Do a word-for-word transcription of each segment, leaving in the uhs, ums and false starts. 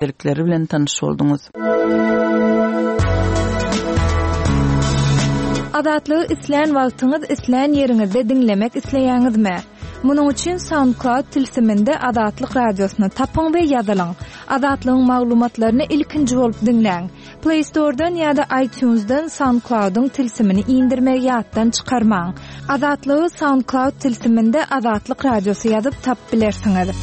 Täzelikleri bilen tanyş bolduňyz. Azatlygy islän wagtyňyz, islän ýeriňizde diňlemek isleýäňizmi? Munuň üçin SoundCloud tilsiminde Azatlyk radiosyny tapyň we ýazylyň. Azatlygyň maglumatlaryny ilkinji bolup diňläň. Play Store'dan ýa-da iTunes'dan SoundCloud'yň tilsimini indirmegi ýatdan çykarmaň. Azatlygy SoundCloud tilsiminde Azatlyk radiosy ýazyp tapyp bilersiňiz.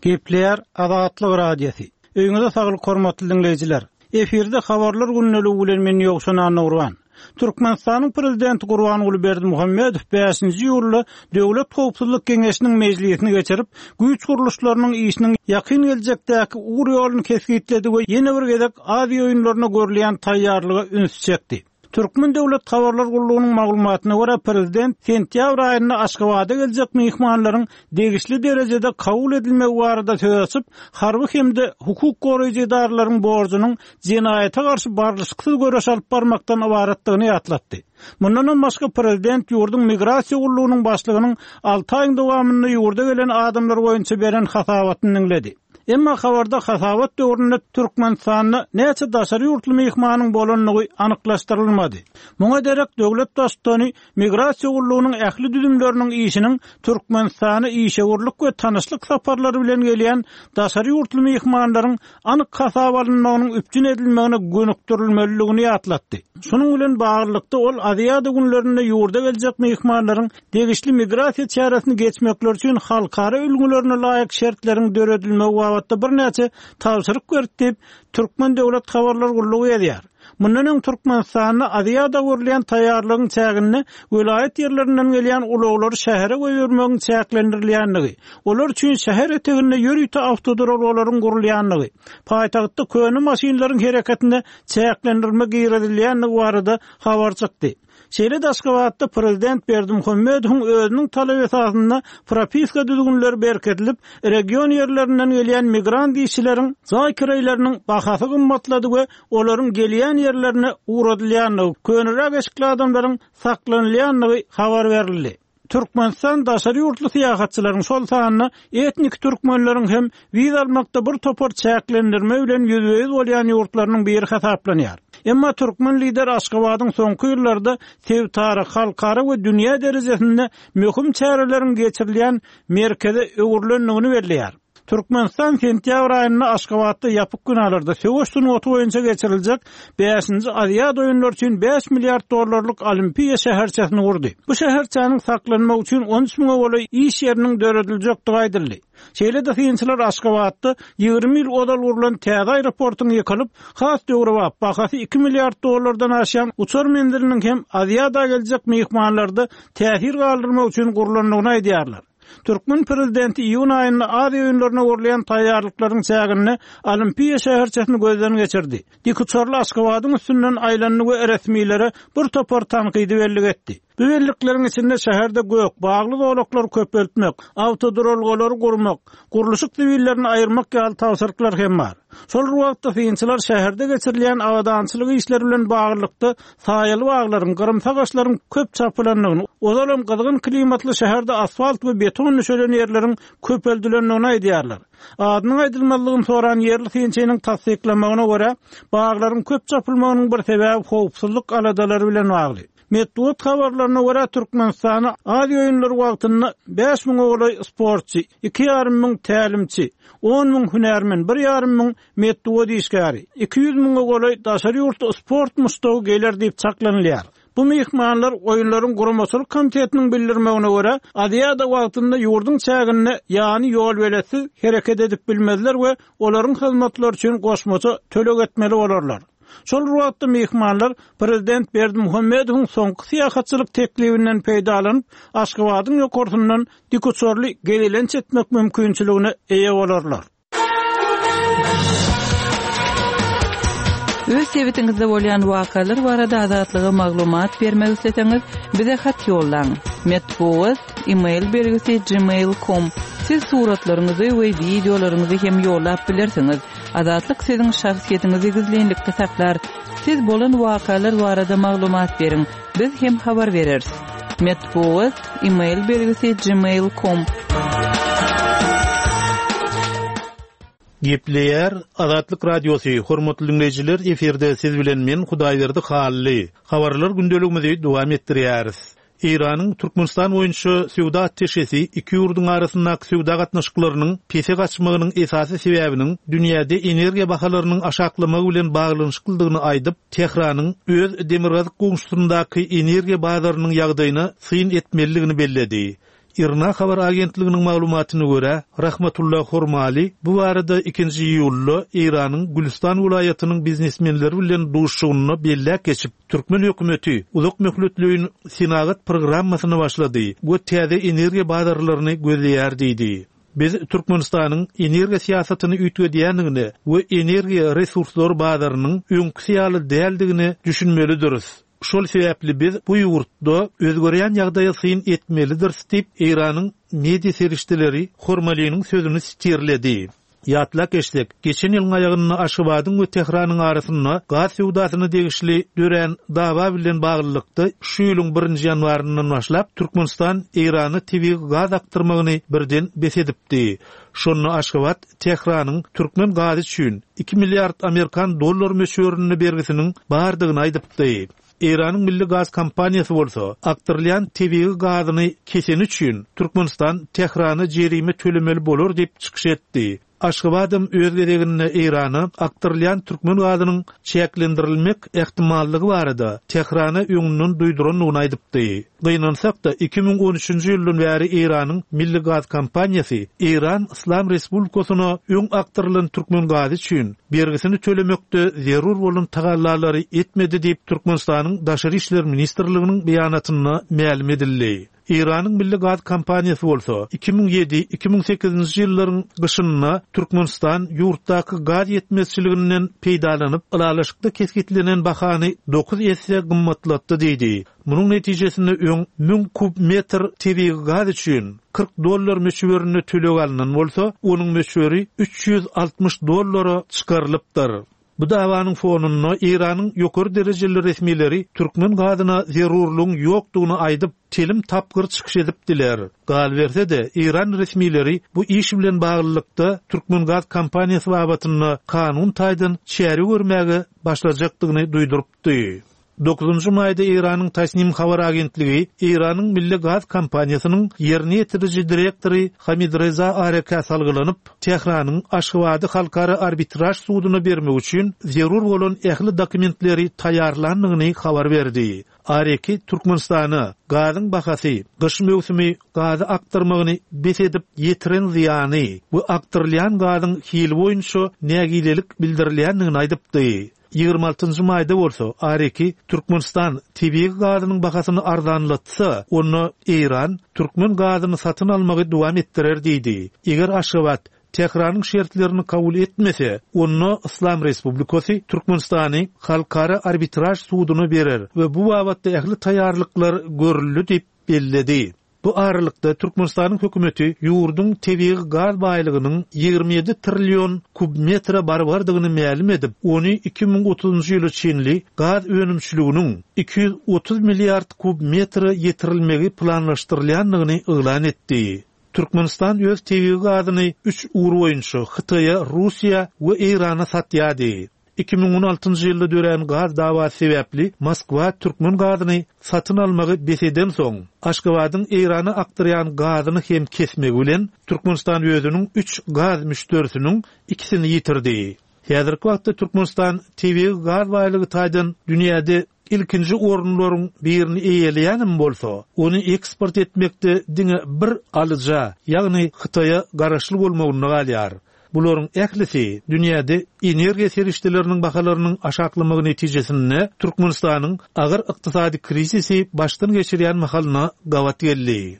Gepleýär Azatlyk Radiosy. Öýüňize saglyk hormatly diňleýjiler. Efirde habarlar gündeligi bilen men Ýowşan Annagurban. Türkmenistanyň prezidenti Gurbanguly Berdimuhamedow bäşinji iýulda Döwlet Howpsuzlyk Geňeşiniň mejlisini geçirip, güýç gurluşlarynyň işiniň ýakyn geljekdäki ugur ýoluny kesgitledi we ýene bir gezek Aziýa oýunlaryna görülýän taýýarlyga üns çekdi. Türkmen Döwlet Habarlar Gullugynyň maglumatyna görä, prezident sentýabr aýynda Aşgabada geljek myhmanlaryň degişli derejede kabul edilmegi barada söz açyp, harby hem-de hukuk goraýjy edaralaryň borjunyň jenaýata garşy barlyşyksyz göreş alyp barmakdan ybaratdygyny ýatlatdy. Mundan başga prezident ýurduň migrasiýa gullugynyň başlygynyň alty aýyň dowamynda ýurda gelen adamlar boýunça beren hasabatyny diňledi. Emma habarda hasabat döwründe Türkmenistanda näçe daşary ýurtly myhmanyň bolandygy anyklaşdyrylmady. Muňa derek döwlet baştutany migrasiýa gullugynyň ähli düzümleriniň işiniň Türkmenistana işewürlik we tanyşlyk saparlary bilen gelýän daşary ýurtly myhmanlaryň anyk hasap alynmagynyň üpjün edilmegine gönükdirilmelidigini ýatlatdy. Şunuň bilen baglylykda ol Aziýada günlerinde ýurda geljek myhmanlaryň degişli migrasiýa çäresini geçmekleri üçin halkara ülňülerine laýyk şertleriň döredilmegi babatda birnäçe tabşyryk berdi diýip, Türkmen Döwlet Habarlar Gullugy ýazýar. Mundan öň Türkmenistanda Aziýada görülýän taýýarlygyň çäginde welaýat ýerlerinden gelýän ulaglary şähere goýbermegiň çäklendirilýändigi, olar üçin şäher eteginde ýörite awtoduralgalaryň gurulýandygy, paýtagtda köne maşynlaryň hereketinde çäklendirme girizilýändigi barada habar çykdy. Şeýle-de Aşgabatda prezident Berdimuhamedowyň özüniň talaby esasynda propiska düzgünleri berkidilip, region ýerlerinden gelýän migrant işçileriň jaý kireýleriniň bahasy gymmatlady we olaryň gelýän ýerlerine ugradylýandygy, köneräk eşikli adamlaryň saklanylýandygy habar berildi. Türkmenistan daşary ýurtly syýahatçylaryň, şol sanda etnik türkmenleriň hem wiza almakda bir topar çäklendirme bilen ýüzbe-ýüz bolýan ýurtlarynyň biri hasaplanýar. Emma türkmen lider Aşgabadyň soňky ýyllarda sebitara, halkara we dünýä derejesinde möhüm çäreleriň geçirilýän merkeze öwrülendigini belleýär. Türkmenistan sentýabr aýynda Aşgabatda ýapyk binalarda söweş sungaty boýunça geçiriljek bäşinji Aziýada oýunlary üçin bäş milliard dollarlyk Olimpiýa şäherçesini gurdy. Bu şäherçäniň saklanmagy üçin on üç müňe golaý iş ýeriniň dörediljekdigi aýdyldy. Şeýle-de synçylar Aşgabatda ýigrimi ýyl ozal gurlan täze aeroportuň ýykylyp, has döwrebap bahasy iki milliard dollardan aşan uçar menziliniň hem Aziýada geljek myhmanlarda täsir galdyrmak üçin gurlandygyny aýdýarlar. Türkmen prezidenti iýun aýynda Aziýa oýunlaryna gurulýan taýýarlyklaryň çäginde Olimpiýa şäherçesini gözden geçirdi. Dikuçarly Aşgabadyň üstünden aýlandy we resmilere bir topar tankydy bellik etdi. Bu bellikleriň içinde şäherde gök, bagly zolaklar köpeltmek, awtoduralgalary gurmak, gurluşyk zibillerini aýyrmak ýaly tabşyryklar hem bar. Şol wagtda synçylar şäherde geçirilýän abadançylyk işleri bilen baglylykda saýaly baglaryň, gyrymsy agaçlaryň köp çapylandygyny, ozalam gyzgyn klimatly şäherde asfalt we beton düşelen ýerleriň köpeldilendigini aýdýarlar. Adynyň aýdylmazlygyny soran ýerli synçynyň tassyklamagyna görä, baglaryň köp çapylmagynyň bir sebäbi howpsuzlyk aladalary bilen bagly. Metbugat habarlaryna görä, Türkmenistana Aziýa oýunlary wagtynda bäş müňe golaý sportçy, iki ýarym müň tälimçi, on müň hünärmen, bir ýarym müň metbugat işgäri, iki ýüz müňe golaý daşary ýurtly sport muşdagy geler diýip çaklanylýar. Bu myhmanlar oýunlaryň guramaçylyk komitetiniň bildirmegine görä, Aziýada wagtynda ýurduň çäginde ýany ýol beletsiz hereket edip bilmezler we olaryň hyzmatlary üçin goşmaça töleg etmeli bolarlar. Şol wagtda myhmanlar prezident Berdimuhamedowyň soňky syýahatçylyk teklibinden peýdalanyp, Aşgabadyň ýokarsyndan dikuçarly gezelenç etmek mümkinçiligine eýe bolarlar. Öz sebitiňizde bolýan wakalar barada Azatlyga maglumat bermek isleseňiz, bize hat ýollaň. Metbugat, e-mail belgisi gmail nokta com. Siz suratlaryňyzy we wideolaryňyzy hem ýollap bilersiňiz. Azatlyk siziň şahsyýetiňizi gizlinlikde saklar. Siz bolan wakalar barada maglumat beriň. Biz hem habar bereris. Metbugat, e-mail belgisi gmail nokta com. Gepleýär Azatlyk Radiosy, hormatly dinleýjiler, efirde siz bilen men Hudaýberdi Hally. Habarlar gündeligimizi dowam etdirýäris. Eýranyň Türkmenistan boýunça söwda atteşesi iki ýurduň arasyndaky söwda gatnaşyklarynyň pese gaçmagynyň esasy sebäbiniň dünýäde energiýa bahalarynyň aşaklamagy bilen baglanyşyklydygyny aýdyp, Tehranyň öz demirgazyk goňşusyndaky energiýa bazarynyň ýagdaýyna syn etmelidigini belledi. IRNA habar agentliginiň maglumatyna görä, Rahmatullah Hormali bu barada ikinji iýulda Eýranyň Gülüstan welaýatynyň biznesmenleri bilen duşuşygynda belläp geçip, Türkmen hökümeti uzak möhletleýin senagat programmasyny başlady we täze energiýa bazarlaryny gözleýär diýdi. Biz Türkmenistanyň energiýa syýasatyny üýtgedýändigine we energiýa resurslary bazarynyň öňküsi ýaly däldigine düşünmelidiris. Şol sebäpli biz bu ýurtda özgerýän ýagdaýa syn etmelidiris diýip, Eýranyň media serişdeleri Hormaliniň sözüni sitirledi. Ýatlap geçsek, geçen ýylyň aýagynda Aşgabadyň we Tehranyň arasynda gaz söwdasyna degişli dörän dawa bilen baglylykda şu ýylyň birinji ýanwaryndan başlap Türkmenistan Eýrana tebigy gaz akdyrmagyny birden bes edipdi. Şonda Aşgabat Tehranyň türkmen gazy üçin iki milliard amerikan dollar möçberinde bergisiniň bardygyny aýdypdy. Eýranyň Milli Gaz kompaniýasy bolsa akdyrylýan tebigy gazyny keseni üçin Türkmenistan Tehrana jerime tölemeli bolar diýip çykyş etdi. Aşgabadam öz gezeginde Eýrana akdyrylýan türkmen gazynyň çäklendirilmek ehtimallygy barada Tehrana öňünden duýdurandygyny aýdypdy. Gynansak-da iki müň on üçünji ýyldan bäri Eýranyň Milli Gaz kompaniýasy Eýran Islam Respublikasyna öň akdyrylan türkmen gazy üçin bergisini tölemekde zerur bolan tagallalary etmedi diýip Türkmenistanyň Daşary işler ministrliginiň beýanatynda mälim edildi. Eýranyň Milli Gaz kompaniýasy bolsa iki müň ýedi iki müň sekizinji ýyllaryň gyşynda Türkmenistan ýurtdaky gaz ýetmezçiliginden peýdalanyp ylalaşykda kesgitlenen bahany dokuz esse gymmatlatdy diýdi. Munuň netijesinde öň müň kub metr tebigy gaz üçin kyrk dollar möçberinde töleg alynan bolsa, onuň möçberi üç ýüz altmyş dollara çykarylypdyr. Bu dawanyň fonunda Eýranyň ýokary derejeli resmileri türkmen gazyna zerurlygyň ýokdugyny aýdyp, telim tapgyr çykyş edipdiler. Galberse-de, Eýran resmileri bu iş bilen baglylykda Türkmen gaz kompaniýasy babatynda kanun taýdan çäre görmäge başlajakdygyny duýdurypdy. Dokuzunjy maýda Eýranyň Tasnim habar agentligi Eýranyň Milli Gaz kompaniýasynyň ýerine ýetiriji direktory Hamid Reza Areka salgylanyp, Tehranyň Aşgabady halkara arbitraj suduna bermek üçin zerur bolan ähli dokumentleri taýýarlandygyny habar berdi. Areki Türkmenistana gazyň bahasy, gyş möwsümi gazy akdyrmagyny bes edip ýetiren zyýany we akdyrylýan gazyň hili boýunça nägilelik bildirilýändigini aýdypdy. Ýigrimi altynjy maýda bolsa Areki Türkmenistan tebigy gazynyň bahasyny arzanlatsa, onda Eýran türkmen gazyny satyn almagy dowam etdirer diýdi. Eger Aşgabat Tehranyň şertlerini kabul etmese, onda Islam Respublikasy Türkmenistany halkara arbitraj suduna berer we bu babatda ähli taýýarlyklar görüldi diýip belledi. Bu aralykda Türkmenistanyň hökümeti ýurduň tebigy gaz baýlygynyň ýigrimi ýedi trillion kub metre barbardygyny mälim edip, ony iki müň otuzunjy ýyla çenli gaz önümçiliginiň iki ýüz otuz milliard kub metre ýetirilmegi planlaşdyrylýandygyny yglan etdi. Türkmenistan öz tebigy gazyny üç ugur boýunça Hytaýa, Russiýa we Eýrana satýardy. Iki müň on altynjy ýylda dörän gaz dawasy sebäpli Moskwa türkmen gazyny satyn almagy bes eden soň, Aşgabadyň Eýrana akdyrýan gazyny hem kesmegi bilen Türkmenistan özüniň üç gaz müşderisiniň ikisini ýitirdi. Häzirki wagtda Türkmenistan tebigy gaz baýlygy taýdan dünýäde ilkinji orunlaryň birini eýeleýänem bolsa, ony eksport etmekde diňe bir alyja, ýagny Hytaýa garaşly bolmagynda galýar. Bularyň ählisi dünýäde energiýa serişdeleriniň bahalarynyň aşaklamagy netijesinde Türkmenistanyň agyr ykdysady krizisi başdan geçirýän mahalyna gabat geldi.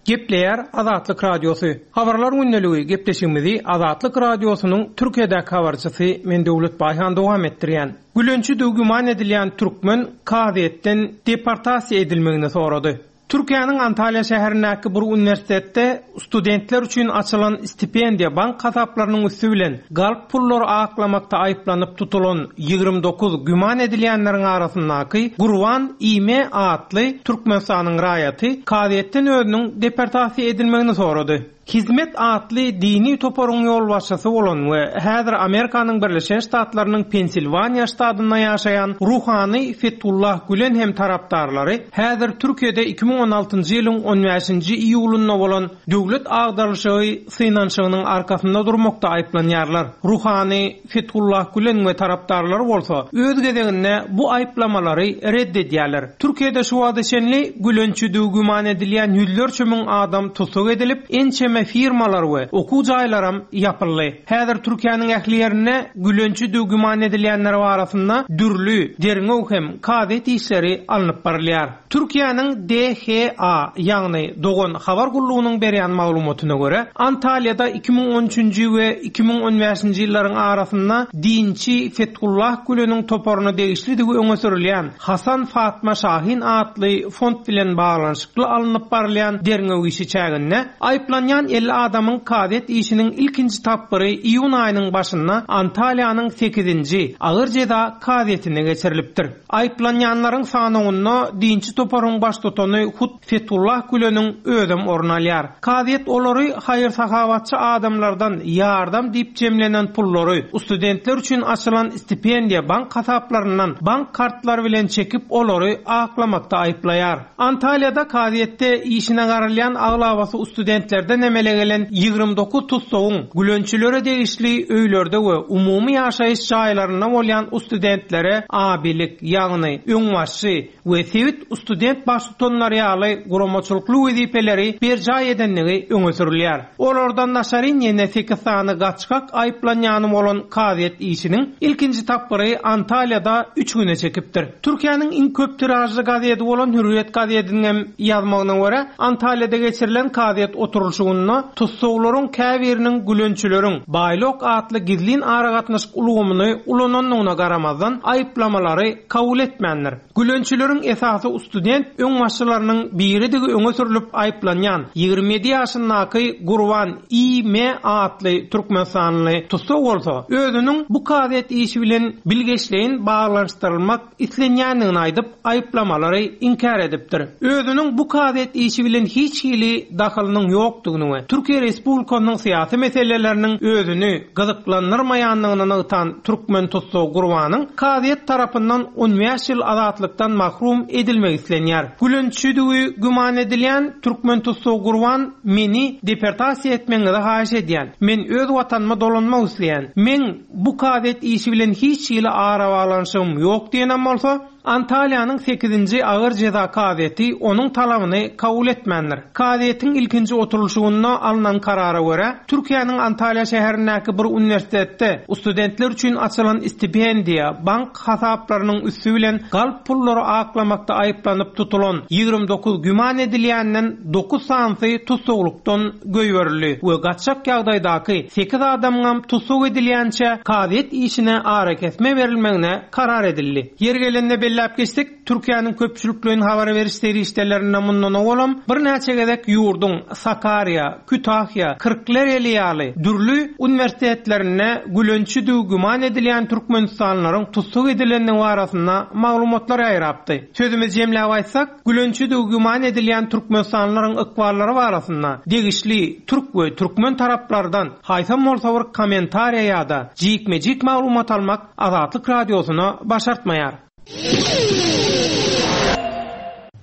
Gepleýär Azatlyk Radiosy. Habarlar gündeligi gepleşigimizi Azatlyk Radiosynyň Türkiýedäki habarçysy men Döwlet Baýhan dowam etdirýän. Gülençi güman edilýän türkmen kazyýetden deportasiýa edilmegini sorady. Türkiýäniň Antalýa şäherindäki bir uniwersitetde studentler üçin açylan stipendiýa bank hasaplarynyň üsti bilen galp pullary aklamakda aýyplanyp tutulan ýigrimi dokuz güman edilýänleriň arasyndaky Gurban Ime atly Türkmenistanyň raýaty kazyýetden özüniň deportasiýa edilmegini sorady. Hizmet atly dini toparyň ýolbaşçysy bolan we häzir Amerikanyň Birleşen Ştatlarynyň Pensilwaniýa ştatynda ýaşaýan ruhany Fethullah Gülen hem tarapdarlary häzir Türkiýede iki müň on altynjy ýylyň on bäşinji iýulynda bolan döwlet agdarylyşygy synanyşygynyň arkasynda durmakda aýyplanýarlar. Ruhany Fethullah Gülen we tarapdarlary bolsa öz gezeginde bu aýyplamalary red edýärler. Türkiýede şu wagta çenli Gülençidigi güman edilýän ýüzlerçe müň adam tussag edilip, ençeme firmalar we okuw jaýlaram ýapyldy. Häzir Türkiýäniň ähli ýerinde Gülençidigi güman edilýänler arasynda dürli derňew hem kazyýet işleri alnyp barylýar. Türkiýäniň D H A, ýagny Dogan habar gullugynyň berýän maglumatyna görä, Antalýada iki müň on üçünji we iki müň on bäşinji ýyllaryň arasynda dinçi Fethullah Güleniň toparyna degişlidigi öňe sürülýän Hasan Fatma Şahin atly fond bilen baglanyşykly alnyp barylýan derňew işi çäginde aýyplanýan elli adamyň kazyýet işiniň ilkinji tapgyry iýun aýynyň başynda Antalýanyň sekizinji agyr jeza kazyýetine geçirilipdir. Aýyplanýanlaryň sanawynda dinçi toparyň baştutany hut Fethullah Güleniň özem orun alýar. Kazyýet olary haýyr-sahabatçy adamlardan ýardam diýip jemlenen pullary studentler üçin açylan stipendiýa bank hasaplaryndan bank kartlary bilen çekip olary aklamakda aýyplaýar. Antalýada kazyýetde işine garalýan aglabasy studentlerden emele gelen ýigrimi dokuz tutsagyň gülençilere degişli öýlerde we umumy ýaşaýyş jaýlarynda bolýan studentlere abilik, ýagny öňbaşçy we sebit student baştutanlary ýaly guramaçylykly wezipeleri berjaý edenligi öňe sürülýär. Olardan daşary ýene sekiz sany gaçgak aýyplanýany bolan kazyýet işiniň ilkinji tapgyry Antalýada üç güne çekipdir. Türkiýäniň iň köp tiražly gazeti bolan Hürriyet gazetiniň hem ýazmagyna görä, Antalýada geçirilen kazyýet oturylyşygynda tussaglaryň käbiriniň gülençileriň Baýlok atly gizlin aragatnaşyk ulgamyny ulanandygyna garamazdan aýyplamalary kabul etmändir. Gülençileriň esasy student öňbaşçylarynyň biridigi öňe sürülip aýyplanýan ýigrimi ýedi ýaşyndaky Gurban I M atly Türkmenistanly tussag bolsa, özüniň bu kazyýet işi bilen bilgeşleýin baglanyşdyrylmak islenýändigini aýdyp, aýyplamalary inkär edipdir. Özüniň bu kazyýet işi bilen hiç hili dahylynyň ýokdugyny we Türkiýe Respublikasynyň syýasy meseleleriniň özüni gyzyklandyrmaýandygyny nygtan Türkmen tussag Gurbanyň kazyýet tarapyndan on bäş ýyl azatlykdan mahrum edilmek islenýär. Gülençidigi güman edilýän Türkmen tussag Gurban meni deportasiýa etmegiňizi haýyş edýän. Men öz watanyma dolanmak isleýän. Men bu kazyýet işi bilen hiç hili arabaglanyşygym ýok diýenem bolsa, Antalýanyň sekizinji agyr jeza kazyýeti onuň talabyny kabul etmändir. Kazyýetiň ilkinji oturylyşygynda alnan karara görä, Türkiýäniň Antalýa şäherindäki bir uniwersitetde studentler üçin açylan stipendiýa bank hasaplarynyň üsti bilen galp pullary aklamakda aýyplanyp tutulan ýigrimi dokuz güman edilýänden dokuz sanysy tussaglykdan goýberildi we gaçak ýagdaýdaky sekiz adamyň tussag edilýänçe kazyýet işine arakesme berilmegine karar edildi. Ýer gelende belläp geçdik, Türkiýäniň köpçülikleýin habar beriş serişdelerinde mundan owalam birnäçe gezek ýurduň Sakarýa, Kütahýa, Kyrklareli ýaly dürli uniwersitetlerinde gülençidigi güman edilýän Türkmenistanlylaryň tussag edilendigi barasynda maglumatlar ýaýrapdy. Sözümizi jemläp aýtsak, gülençidigi güman edilýän Türkmenistanlylaryň ykballary barasynda degişli türk we türkmen taraplardan haýsam bolsa bir kommentariýa ýa-da jikme-jik maglumat almak Azatlyk radiosyna başartmaýar.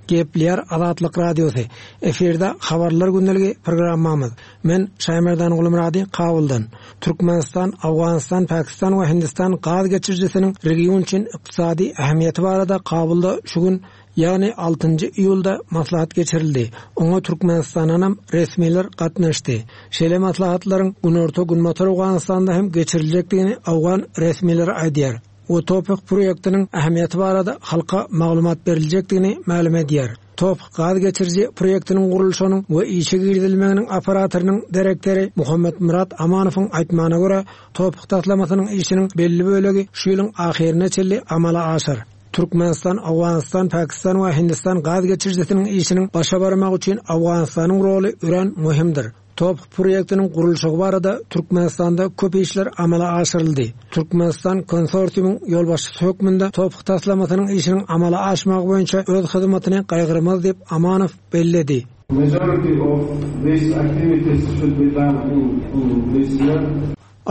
Gepler Azatlyk Radiosy. Efirde habarlar gündeligi programmamyz. Men Şaýmerdan Gulmurady Kabuldan. Türkmenistan, Afganistan, Pakistan we Hindistan gaz geçirijisiniň region üçin ykdysady ähmiýeti barada Kabulda şu gün, ýagny altynjy iýulda maslahat geçirildi. Oňa Türkmenistandan resmiler gatnaşdy. Şeýle maslahatlaryň Günorta-Günbatar Afganistanda hem geçiriljekdigini Afgan resmileri aýdýar. O TOPIK proýektiniň ähmiýeti barada halka maglumat beriljekdigini mälim edýär. TOPIK gaz geçiriji proýektiniň gurluşynyň we işe girizilmeginiň operatorynyň direktory Muhammet Murat Amanowyň aýtmagyna görä, TOPIK taslamasynyň işiniň belli bölegi şu ýylyň ahyryna çenli amala aşar. Türkmenistan, Owganystan, Pakistan we Hindistan gaz geçirijisiniň işiniň başa barmagy üçin Owganystanyň roly örän möhümdir. Top proýektiniň gurluşygy barada Türkmenistanda köp işler amala aşyryldy. Türkmenistan konsorsiumyň ýolbaşçysy hökmünde Top taslamasynyň işiniň amala aşmagy boýunça öz hyzmatyny gaýgyrmaz diýip Amanow belledi. Majority of these activities should be done in, in this year.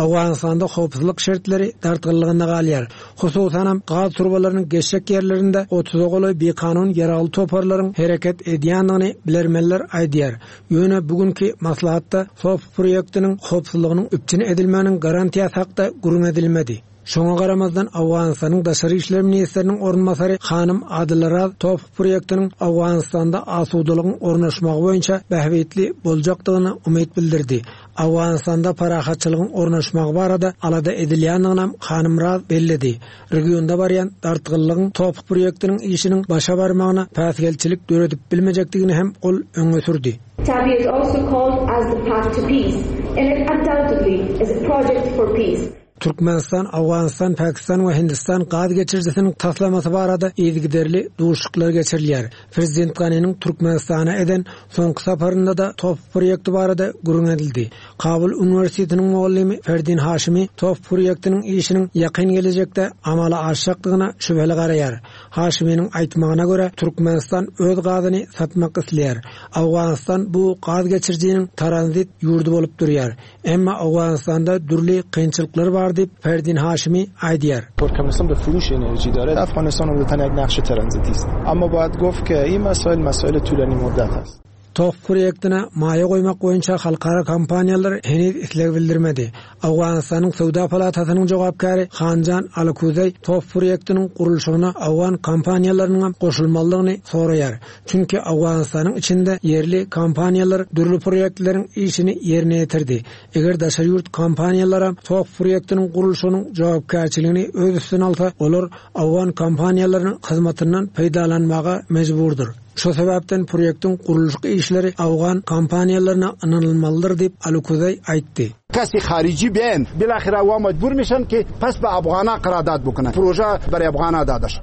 Owganystanda howpsuzlyk şertleri dartgynlygynda galýar. Hususanam gaz turbalarynyň geçjek ýerlerinde otuza golaý bikanun ýaragly toparlaryň hereket edýändigini bilermenler aýdýar. Ýöne bugünkü maslahatda Top proýektiniň howpsuzlygynyň üpjün edilmeginiň garantiýasy hakda gürrüň edilmedi. Şoňa garamazdan Owganystanyň Daşary işler ministriniň orunbasary Hanym Adylaraz Top proýektiniň Owganystanda asudalygyň ornaşmagy boýunça bähbitli boljakdygyna umyt bildirdi. Owganystanda parahatçylygyň ornaşmagy barada alada edilýändigini Hanym Raz belledi. Regionda barýan dartgynlygyň Top proýektiniň işiniň başa barmagyna päsgelçilik döredip bilmejekdigini hem ol öňe sürdi. TAPI is also called as the path to peace, and it undoubtedly is a project for peace. Türkmenistan, Owganystan, Pakistan we Hindistan gaz geçirijisiniň taslamasy barada yzygiderli duşuşyklar geçirilýär. Prezident Ganiniň Türkmenistana eden soňky saparynda da Top proýekti barada gürrüň edildi. Kabul Uniwersitetiniň mugallymy Ferdin Haşimi Top proýektiniň işiniň ýakyn gelejekde amala aşjakdygyna şübheli garaýar. Haşiminiň aýtmagyna görä Türkmenistan öz gazyny satmak isleýär. Owganystan bu gaz geçirijiniň tranzit ýurdy bolup durýar. Emma Owganystanda dürli kynçylyklar bar diýip Ferdin Haşimi aýdýar. ترکمنستان به فروش انرژی داره افغانستان عمدتاً یک نقش ترانزیتی است اما باید گفت که این مسائل مسائل طولانی مدت است Top proýektine maýa goýmak boýunça halkara kompaniýalar heniz isleg bildirmedi. Owganystanyň Söwda palatasynyň jogapkary Hanjan Alkuzay Top proýektiniň gurluşygyna Owgan kompaniýalarynyň goşulmalydygyny soraýar. Çünki Owganystanyň içinde ýerli kompaniýalar dürli proýektleriň işini ýerine ýetirdi. Eger daşary ýurt kompaniýalary Top proýektiniň gurluşygynyň jogapkärçiligini öz üstüne alsa, olar Owgan kompaniýalarynyň hyzmatyndan peýdalanmaga mejburdyr. Şu sebäpden proýektiň gurluşyk işleri Owgan kompaniýalaryna ynanylmalydyr diýip Alkuzay aýtdy. کسی خارجی بیان بالاخره وا مجبور میشن که پس به افغانا قرارداد بکنن پروژه برای افغانا داده شد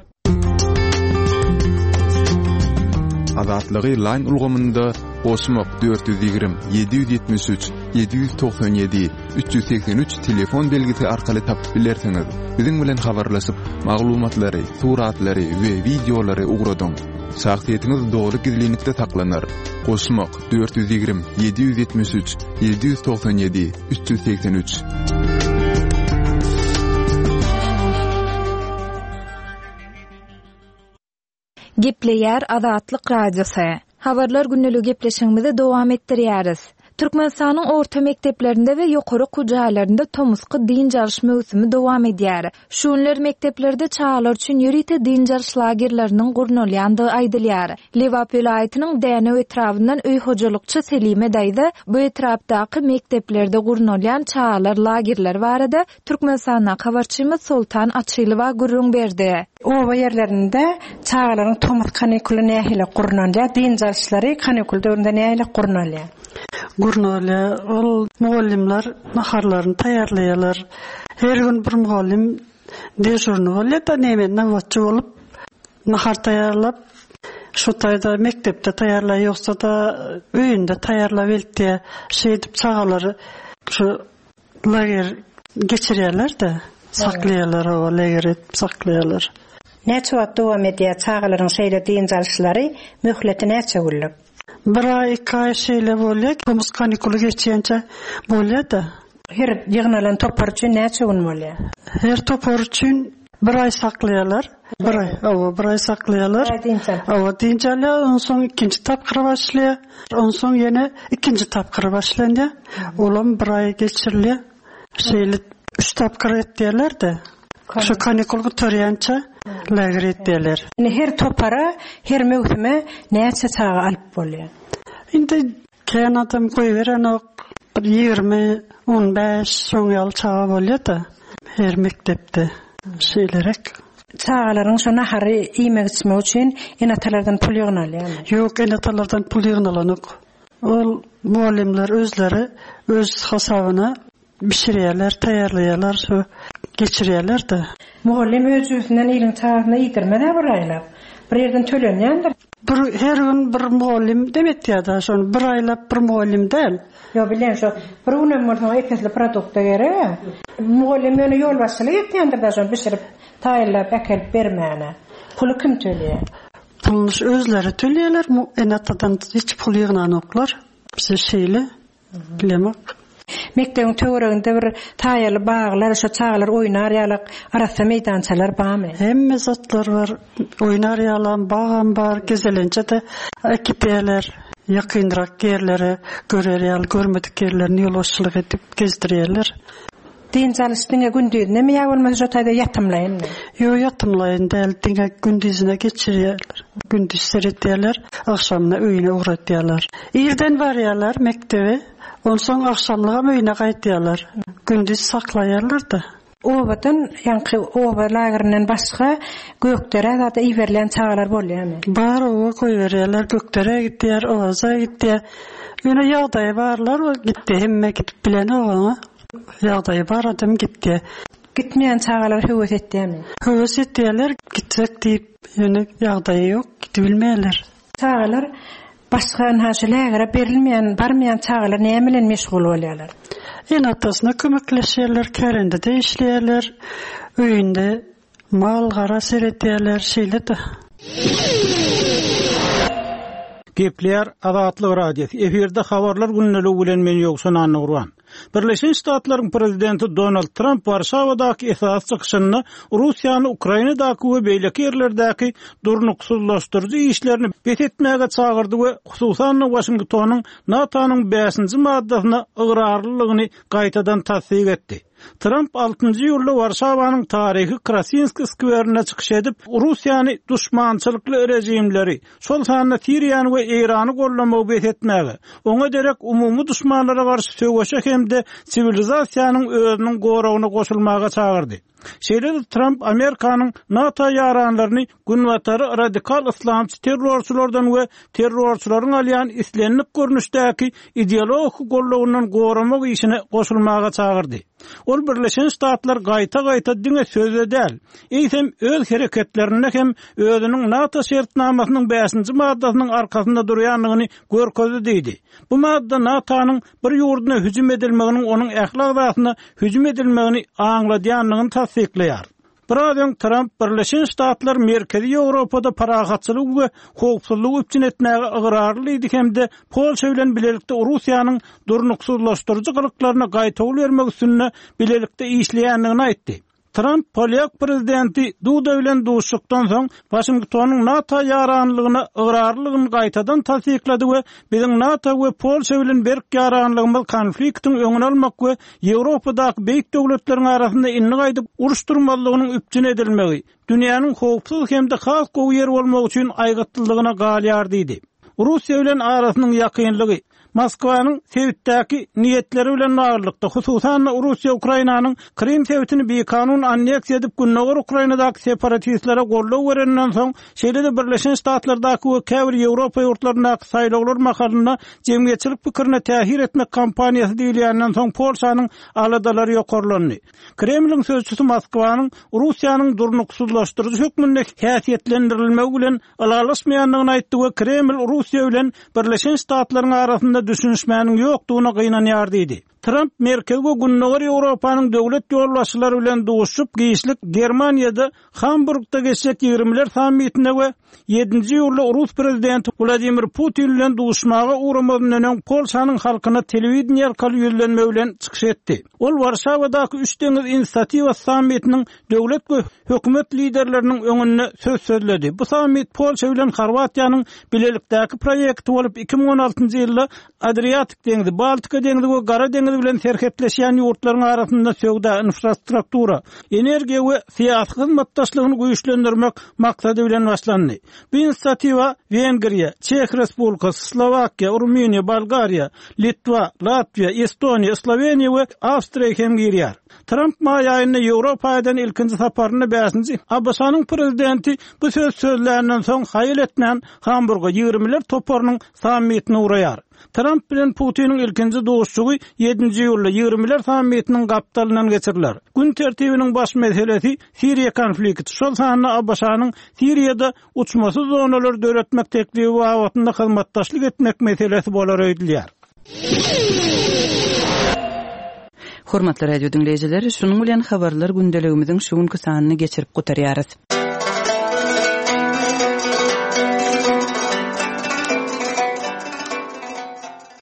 Azatlygy line ulgamynda goşmak dört ýüz ýigrimi, ýedi ýüz ýetmiş üç, ýedi ýüz togsan ýedi, üç ýüz segsen üç telefon belgisi arkaly tapyp bilersiňiz. Biziň bilen habarlaşyp, maglumatlary, suratlary we wideolary ugradyň. Şahsyýetiňiz dogry gizlinlikde saklanar. Goşmak dört ýüz ýigrimi, ýedi ýüz ýetmiş üç, ýedi ýüz togsan ýedi, üç ýüz segsen üç. Gepleýär Azatlyk Radiosy. Habarlar günlük gepleşigimizi dowam etdirýäris. Türkmenistanyň orta mekdeplerinde we ýokary okuw jaýlarynda tomusky dynç alyş möwsümi dowam edýär. Şu günler mekdeplerde çagalar üçin ýörite dynç alyş lagerleriniň gurnalýandygy aýdylýar. Lebap welaýatynyň Dänew etrabyndan öý hojalykçy Selime daýza bu etrapdaky mekdeplerde gurnalýan çagalar lagerleri barada Türkmenistanyň habarçymyz Sultan Açylowa gürrüň berdi. Oba ýerlerinde çagalaryň tomus kanikuly nähili gurnalýar, dynç alyşlary kanikul döwründe nähili gurnalýar? Gurnalýar. Ol mugallymlar naharlaryny taýýarlaýarlar. Her gün bir mugallym dejurny bolýar da näme nöbetçi bolup nahar taýýarlap, şu taýda mekdepde taýýarlaýar, ýoksa da öýünde taýýarlap eltýär. Şeýdip çagalary şu lager geçirýärler de, saklaýarlar, o lager etip saklaýarlar. Näçe wagt dowam edýär çagalaryň şeýle dynç alyşlary, möhleti näçe günlük? Bir aý, iki aý şeýle bolýar, tomus kanikuly geçýänçe bolýar da. Her ýygnalan topar üçin näçe gün bolýar? Her topar üçin bir aý saklaýarlar. Bir aý, owa, bir aý saklaýarlar. Bir aý dynç alyp. Owa, dynç alýar, onsoň ikinji tapgyry başlaýar. Onsoň ýene ikinji tapgyry başlanýar. Olam bir aý geçirilýär. Şeýle üç tapgyr etýärler de. Şu kanikul gutarýança lager etýärler. Indi her topara, her möwsüme näçe çaga alyp bolýar? Indi kän adam goýberenok, bir ýigrimi, on bäş soň ýaly çaga bolýar da her mekdepde şeýlerek. Çagalaryň şu nahary iýmek içmek üçin ene-atalardan pul ýygnalýarmy? Ýok, ene-atalardan pul ýygnalanok. Ol muallimler özleri öz hasabyna bişirýärler, taýýarlaýarlar. Şu Geçirýärler-de. Mugallym öz jübüsinden iliň çagasyna iýdirmez-ä bir aýlap. Bir ýerden tölenýändir. Bir her gün bir mugallym demetýär-de, şony bir aýlap bir mugallym däl. Ýok, bilýän şo bir günem bolsa ep-esli produkta gerek-ä. Mugallym ýöne ýolbaşçylyk etýändir-de şony bişirip, taýynlap äkelip bermäne. Puly kim töleýär? Puluny özleri töleýärler, ene-atadan hiç pul ýygnanoklar. Bize şeýle bilemok. Mekdebiň töwereginde bir saýaly baglar, şo çagalar oýnar ýalak arassa meýdançalar barmy? Hemme zatlar bar. Oýnar ýalam, bagam bar, gezelençe-de äkidýärler. Ýakynrak ýerlere görer ýaly, görmedik ýerlerini ýolbaşçylyk edip gezdirýärler. Dynç alyş diňe gündizine mi ýa bolmasa şo taýda ýatymlaýynmy? Ýok, ýatymlaýyn däl, diňe gündizine geçirýärler. Gündiz seretýärler, agşamyna öýüne ugratýarlar. Irden barýarlar mekdebe, onsoň agşamlygam öýüne gaýtýarlar. Gündiz saklaýarlar-da. Obadan, ýaňky oba lagerinden başga Gökderä zada iberilýän çagalar bolýarmy? Bar, oba goýberýärler, Gökderä gidýär, Owaza gidýär. Ýöne ýagdaýy barlar gitdi, hemme gidip bilenok oňa. Ýagdaýy bar adam gitdi. Gitmeýän çagalar höwes etýärmi? Höwes etýärler, gitjek diýip, ýöne ýagdaýy ýok, gidibilmeýärler. Çagalar başga ynha şu lägere berilmeýän, barmaýan çagalar näme bilen meşgul bolýarlar? Ene-atasyna kömekleşýärler, kärendede işleýärler, öýünde mal-gara seredýärler, şeýle-de. Gepleýär Azatlyk Radiosy. Efirde habarlar gündeligi bilen men Ýowşan Annagurban. Birleşen Ştatlaryň prezidenti Donald Tramp Warşawadaky esasy çykyşynda Russiýany Ukrainadaky we beýleki ýerlerdäki durnuksyzlaşdyryjy işlerini bes etmäge çagyrdy we hususan-da Waşingtonyň NATO-nyň bäşinji maddasyna ygrarlylygyny gaýtadan tassyk etdi. Tramp altynjy iýulda Warşawanyň taryhy Krasinski skwerinde çykyş edip, Russiýany duşmançylykly režimleri, şol sanda Siriýany we Eýrany goldamagy bes etmäge, oňa derek umumy duşmanlara garşy söweşe hem-de siwilizasiýanyň özüniň goragyna goşulmaga çagyrdy. Şeýle-de Tramp Amerikanyň NATO ýaranlaryny Günbatary radikal yslamçy terrorçylardan we terrorçylaryň alýan islendik görnüşdäki ideologik gollagyndan goramak işine goşulmaga çagyrdy. Ol Birleşen Ştatlar gaýta-gaýta diňe sözde däl, eýsem öz hereketlerinde hem özüniň NATO şertnamasynyň bäşinji maddasynyň arkasynda durýandygyny görkezdi diýdi. Bu madda NATO-nyň bir ýurduna hüjüm edilmeginiň onuň ähli agzasyna hüjüm edilmegini aňladýandygyny tassyklaýar. Biraz öň Tramp Birleşen Ştatlar Merkezi Ýewropada parahatçylygy we howpsuzlygy üpjün etmäge ygrarlydy hem-de Polşa bilen bilelikde Russiýanyň durnuksyzlaşdyryjy gylyklaryna gaýtawul bermek üstünde bilelikde işleýändigini aýtdy. Tramp polýak prezidenti Duda bilen duşuşykdan soň Waşingtonyň NATO ýaranlygyna ygrarlylygyny gaýtadan tassyklady we biziň NATO we Polşa bilen berk ýaranlygymyz konfliktiň öňüni almak we Ýewropadaky beýik döwletleriň arasynda indi gaýdyp uruş durmazlygynyň üpjün edilmegi, dünýäniň howpsuz hem-de has gowy ýer bolmagy üçin aýgytlylygyna galýar diýdi. Russiýa bilen arasynyň ýakynlygy, Moskwanyň sebitdäki niýetleri bilen baglylykda, hususan-da Russiýa Ukrainanyň Krym sebitini bikanun anneksiýa edip Gündogar Ukrainadaky separatistlere goldaw bereninden soň, şeýle-de Birleşen Ştatlardaky we käbir Ýewropa ýurtlaryndaky saýlawlar mahalynda jemgyýetçilik pikirine täsir etmek kampaniýasy diýilýänden soň Polşanyň aladalary ýokarlandy. Kremliň sözçüsi Moskwanyň Russiýanyň durnuksyzlaşdyryjy hökmünde häsiýetlendirilmegi bilen ylalaşmaýandygyny aýtdy we Kreml Russiýa bilen Birleşen Ştatlaryň arasynda düşünişmäniň ýokdugyna gynanýar diýdi. Tramp Merkezi we Gündogar Ýewropanyň döwlet ýolbaşçylary bilen duşuşyp, giçlik Germaniýada Hamburgda geçjek ýigrimiler sammitinde we ýedinji iýulda rus prezidenti Wladimir Putin bilen duşuşmaga ugramazyndan öň Polşanyň halkyna telewideniýe arkaly ýüzlenme bilen çykyş etdi. Ol Warşawadaky Üç deňiz inisiatiwasy sammitiniň döwlet we hökümet liderleriniň öňünde söz sözledi. Bu sammit Polşa bilen Horwatiýanyň bilelikdäki proýekti bolup, iki müň on altynjy ýylda Adriatik deňzi, Baltika deňzi we Gara deňizi bilen serhetleşýän ýurtlaryň arasynda söwda, infrastruktura, energiýa we syýasy hyzmatdaşlygyny güýçlendirmek maksady bilen başlandy. Bu inisiatiwa Wengriýa, Çeh Respublikasy, Slowakiýa, Rumyniýa, Bolgariýa, Litwa, Latwiýa, Estoniýa, Sloweniýa we Awstriýa hem girýär. Tramp maý aýynda Ýewropa eden ilkinji saparyny bäşinji ABŞ-nyň prezidenti bu söz sözländen soň haýal etmän Hamburga ýigrimiler toparynyň sammitine ugraýar. Tramp bilen Putiniň ilkinji duşuşygy ýedinji iýulda ýigrimiler sammitiniň gapdalyndan geçiriler. Gün tertibiniň baş meselesi Siriýa konflikti, şol sanda ABŞ-nyň Siriýada uçmasyz zonalar döretmek teklibi babatynda hyzmatdaşlyk etmek meselesi bolar öýdülýär. Hormatly radio diňleýjiler, şunuň bilen habarlar gündeligimiziň şu günki sanyny geçirip gutarýarys.